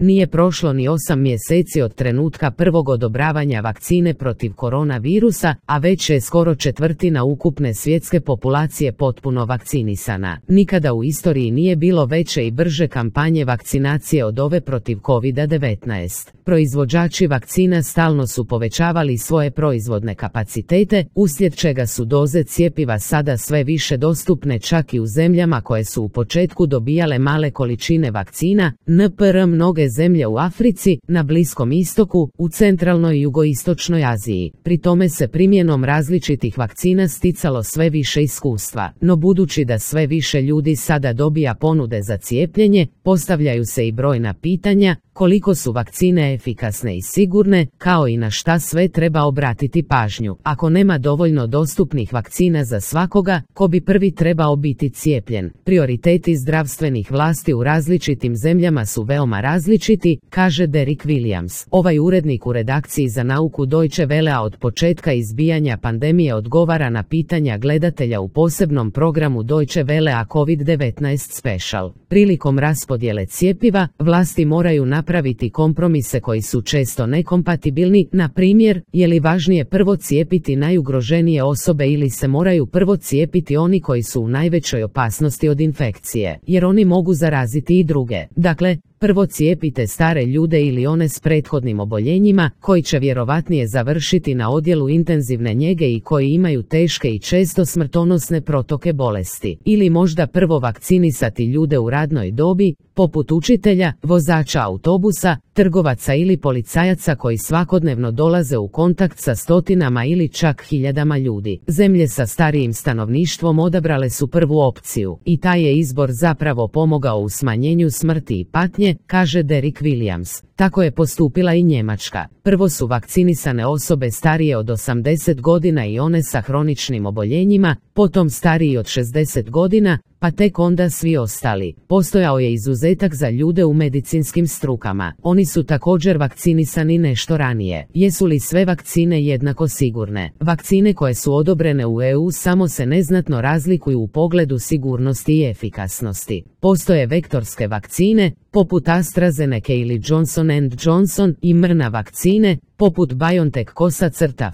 Nije prošlo ni 8 mjeseci od trenutka prvog odobravanja vakcine protiv koronavirusa, a već je skoro četvrtina ukupne svjetske populacije potpuno vakcinisana. Nikada u istoriji nije bilo veće i brže kampanje vakcinacije od ove protiv COVID-19. Proizvođači vakcina stalno su povećavali svoje proizvodne kapacitete, uslijed čega su doze cjepiva sada sve više dostupne čak i u zemljama koje su u početku dobijale male količine vakcina, npr. mnoge zemlje u Africi, na Bliskom istoku, u centralnoj i jugoistočnoj Aziji. Pri tome se primjenom različitih vakcina sticalo sve više iskustva, no budući da sve više ljudi sada dobija ponude za cijepljenje, postavljaju se i brojna pitanja, koliko su vakcine efikasne i sigurne, kao i na šta sve treba obratiti pažnju. Ako nema dovoljno dostupnih vakcina za svakoga, ko bi prvi trebao biti cijepljen? Prioriteti zdravstvenih vlasti u različitim zemljama su veoma različiti, kaže Derek Williams. Ovaj urednik u redakciji za nauku Deutsche Wellea od početka izbijanja pandemije odgovara na pitanja gledatelja u posebnom programu Deutsche Wellea COVID-19 Special. Prilikom raspodjele cjepiva, vlasti moraju napraviti kompromise koji su često nekompatibilni, na primjer, je li važnije prvo cijepiti najugroženije osobe ili se moraju prvo cijepiti oni koji su u najvećoj opasnosti od infekcije, jer oni mogu zaraziti i druge. Dakle, prvo cijepite stare ljude ili one s prethodnim oboljenjima, koji će vjerovatnije završiti na odjelu intenzivne njege i koji imaju teške i često smrtonosne protoke bolesti. Ili možda prvo vakcinisati ljude u radnoj dobi, poput učitelja, vozača autobusa, trgovaca ili policajaca koji svakodnevno dolaze u kontakt sa stotinama ili čak hiljadama ljudi. Zemlje sa starijim stanovništvom odabrale su prvu opciju i taj je izbor zapravo pomogao u smanjenju smrti i patnje, kaže Derek Williams. Tako je postupila i Njemačka. Prvo su vakcinisane osobe starije od 80 godina i one sa hroničnim oboljenjima, potom stariji od 60 godina, pa tek onda svi ostali. Postojao je izuzetak za ljude u medicinskim strukama. Oni su također vakcinisani nešto ranije. Jesu li sve vakcine jednako sigurne? Vakcine koje su odobrene u EU samo se neznatno razlikuju u pogledu sigurnosti i efikasnosti. Postoje vektorske vakcine, poput AstraZeneca ili Johnson & Johnson, i mRNA vakcine, poput BioNTech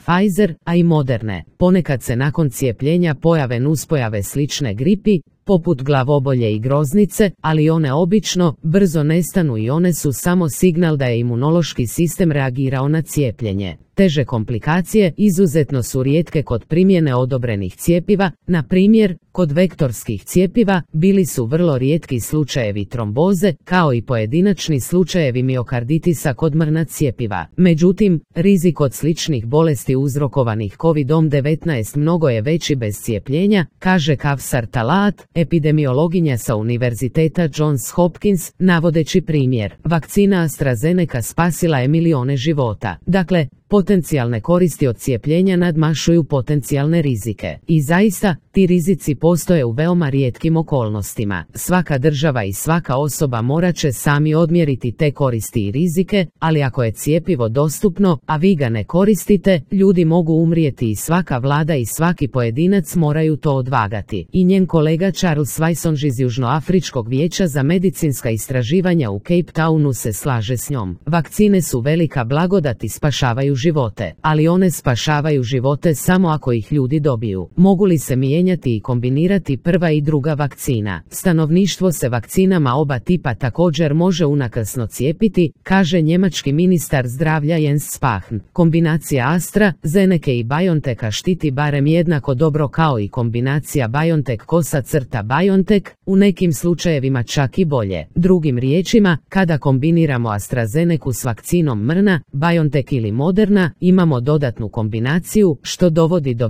Pfizer, a i Moderne. Ponekad se nakon cijepljenja pojave nuspojave slične gripi, poput glavobolje i groznice, ali one obično brzo nestanu i one su samo signal da je imunološki sistem reagirao na cijepljenje. Teže komplikacije izuzetno su rijetke kod primjene odobrenih cjepiva, na primjer, kod vektorskih cjepiva bili su vrlo rijetki slučajevi tromboze, kao i pojedinačni slučajevi miokarditisa kod mRNA cjepiva. Međutim, rizik od sličnih bolesti uzrokovanih COVID-19 mnogo je veći bez cijepljenja, kaže Kavsar Talat, epidemiologinja sa Univerziteta Johns Hopkins, navodeći primjer. Vakcina AstraZeneca spasila je milijone života. Dakle, potencijalne koristi od cijepljenja nadmašuju potencijalne rizike. I zaista, ti rizici postoje u veoma rijetkim okolnostima. Svaka država i svaka osoba morat će sami odmjeriti te koristi i rizike, ali ako je cjepivo dostupno, a vi ga ne koristite, ljudi mogu umrijeti i svaka vlada i svaki pojedinac moraju to odvagati. I njen kolega Charles Weissong iz Južnoafričkog vijeća za medicinska istraživanja u Cape Townu se slaže s njom. Vakcine su velika blagodat i spašavaju živote, ali one spašavaju živote samo ako ih ljudi dobiju. Mogu li se mijenjati i kombinirati prva i druga vakcina? Stanovništvo se vakcinama oba tipa također može unakrsno cijepiti, kaže njemački ministar zdravlja Jens Spahn. Kombinacija AstraZeneca i BioNTecha štiti barem jednako dobro kao i kombinacija BioNTech-BioNTech, u nekim slučajevima čak i bolje. Drugim riječima, kada kombiniramo AstraZenecu s vakcinom mRNA, BioNTech ili Moderna, imamo dodatnu kombinaciju, što dovodi do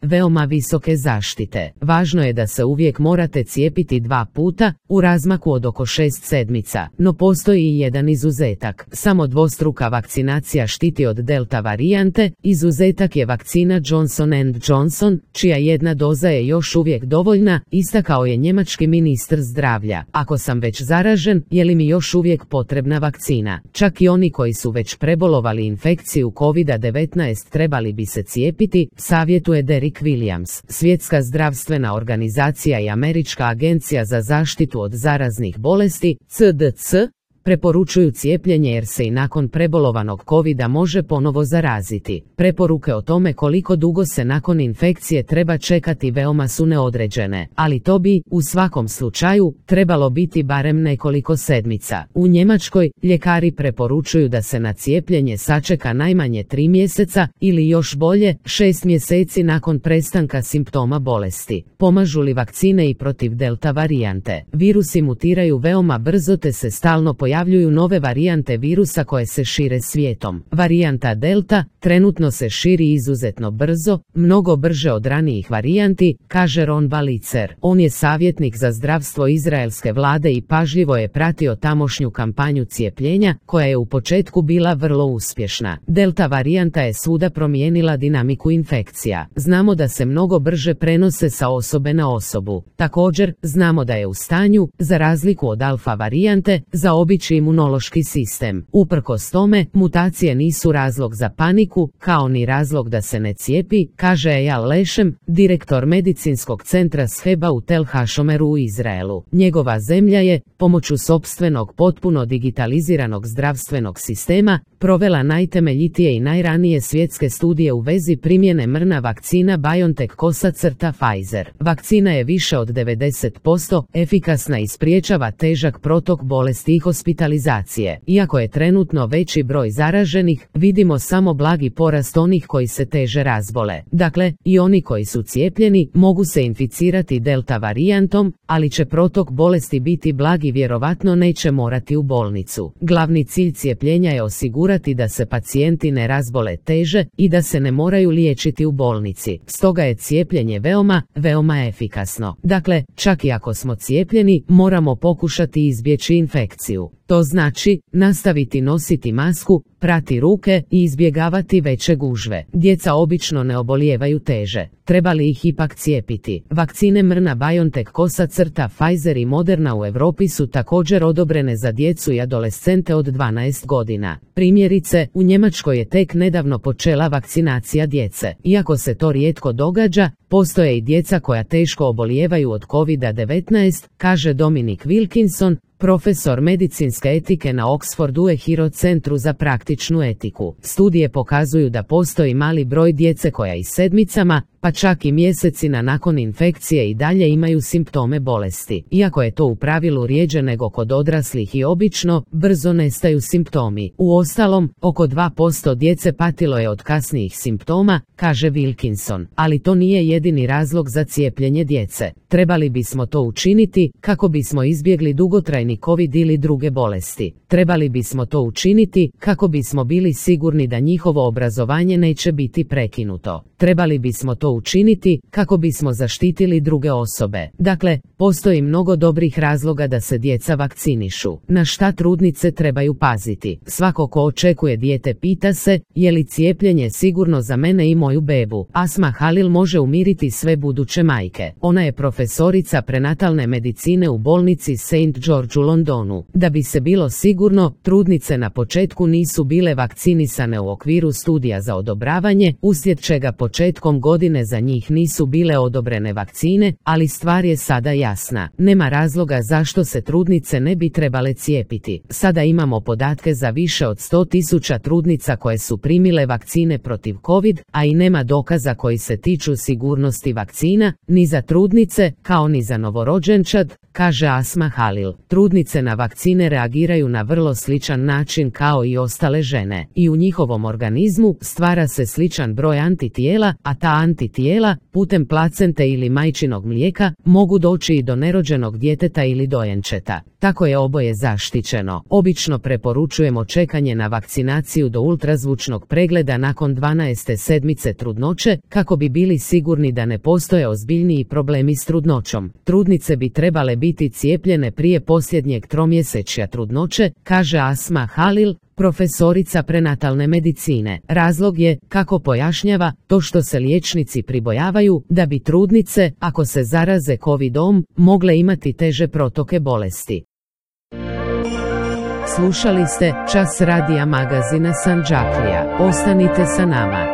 veoma visoke zaštite. Važno je da se uvijek morate cijepiti 2 puta, u razmaku od oko 6 sedmica, no postoji i jedan izuzetak. Samo dvostruka vakcinacija štiti od delta varijante, izuzetak je vakcina Johnson & Johnson, čija jedna doza je još uvijek dovoljna, istakao je njemački ministar zdravlja. Ako sam već zaražen, je li mi još uvijek potrebna vakcina? Čak i oni koji su već prebolovali infekciju COVID-19 trebali bi se cijepiti, savjetuje Derek Williams. Svjetska zdravstvena organizacija i Američka agencija za zaštitu od zaraznih bolesti, CDC, preporučuju cijepljenje jer se i nakon prebolovanog covida može ponovo zaraziti. Preporuke o tome koliko dugo se nakon infekcije treba čekati veoma su neodređene, ali to bi, u svakom slučaju, trebalo biti barem nekoliko sedmica. U Njemačkoj, ljekari preporučuju da se na cijepljenje sačeka najmanje 3 mjeseca ili još bolje, 6 mjeseci nakon prestanka simptoma bolesti. Pomažu li vakcine i protiv delta varijante? Virusi mutiraju veoma brzo te se stalno pojavljuju nove varijante virusa koje se šire svijetom. Varijanta delta trenutno se širi izuzetno brzo, mnogo brže od ranijih varijanti, kaže Ron Balicer. On je savjetnik za zdravstvo izraelske vlade i pažljivo je pratio tamošnju kampanju cijepljenja, koja je u početku bila vrlo uspješna. Delta varijanta je svuda promijenila dinamiku infekcija. Znamo da se mnogo brže prenose sa osobe na osobu. Također, znamo da je u stanju, za razliku od alfa varijante, zaobići imunološki sistem. Uprkos tome, mutacije nisu razlog za paniku, kao ni razlog da se ne cijepi, kaže Eyal Leshem, direktor medicinskog centra Sheba u Tel Hashomeru u Izraelu. Njegova zemlja je, pomoću sopstvenog potpuno digitaliziranog zdravstvenog sistema, provela najtemeljitije i najranije svjetske studije u vezi primjene mRNA vakcina BioNTech-Pfizer. Vakcina je više od 90% efikasna i spriječava težak protok bolesti i hospitalizacije. Iako je trenutno veći broj zaraženih, vidimo samo blagi porast onih koji se teže razbole. Dakle, i oni koji su cijepljeni mogu se inficirati delta varijantom, ali će protok bolesti biti blag i vjerovatno neće morati u bolnicu. Glavni cilj cijepljenja je osigurati da se pacijenti ne razbole teže i da se ne moraju liječiti u bolnici. Stoga je cijepljenje veoma efikasno. Dakle, čak i ako smo cijepljeni, moramo pokušati izbjeći infekciju. To znači, nastaviti nositi masku, prati ruke i izbjegavati veće gužve. Djeca obično ne obolijevaju teže. Treba li ih ipak cijepiti? Vakcine mRNA BioNTech-Pfizer i Moderna u Europi su također odobrene za djecu i adolescente od 12 godina. Primjerice, u Njemačkoj je tek nedavno počela vakcinacija djece. Iako se to rijetko događa, postoje i djeca koja teško obolijevaju od COVID-19, kaže Dominic Wilkinson, profesor medicinske etike na Oxfordu Ehiro centru za praktičnu etiku. Studije pokazuju da postoji mali broj djece koja i sedmicama, pa čak i mjesecima nakon infekcije i dalje imaju simptome bolesti. Iako je to u pravilu rjeđe nego kod odraslih i obično, brzo nestaju simptomi. Uostalom, oko 2% djece patilo je od kasnijih simptoma, kaže Wilkinson. Ali to nije jedini razlog za cijepljenje djece. Trebali bismo to učiniti kako bismo izbjegli dugotrajni COVID ili druge bolesti. Trebali bismo to učiniti kako bismo bili sigurni da njihovo obrazovanje neće biti prekinuto. Trebali bismo to učiniti kako bismo zaštitili druge osobe. Dakle, postoji mnogo dobrih razloga da se djeca vakcinišu. Na šta trudnice trebaju paziti? Svako ko očekuje dijete pita se, je li cijepljenje sigurno za mene i moju bebu? Asma Halil može umiriti sve buduće majke. Ona je profesorica prenatalne medicine u bolnici St. George u Londonu. Da bi se bilo sigurno, trudnice na početku nisu bile vakcinisane u okviru studija za odobravanje, uslijed čega početkom godine za njih nisu bile odobrene vakcine, ali stvar je sada jasna. Nema razloga zašto se trudnice ne bi trebale cijepiti. Sada imamo podatke za više od 100.000 trudnica koje su primile vakcine protiv COVID, a i nema dokaza koji se tiču sigurnosti vakcina, ni za trudnice, kao ni za novorođenčad, kaže Asma Halil. Trudnice na vakcine reagiraju na vrlo sličan način kao i ostale žene. I u njihovom organizmu stvara se sličan broj antitijela, a ta antitijela, putem placente ili majčinog mlijeka, mogu doći i do nerođenog djeteta ili dojenčeta. Tako je oboje zaštićeno. Obično preporučujemo čekanje na vakcinaciju do ultrazvučnog pregleda nakon 12. sedmice trudnoće, kako bi bili sigurni da ne postoje ozbiljniji problemi s trudnoćom. Trudnice bi trebale biti cijepljene prije posljednjeg tromjesečja trudnoće, kaže Asma Halil, profesorica prenatalne medicine. Razlog je, kako pojašnjava, to što se liječnici pribojavaju da bi trudnice, ako se zaraze COVID-om, mogle imati teže protoke bolesti. Slušali ste Čas radija magazina Sandžaklija. Ostanite sa nama.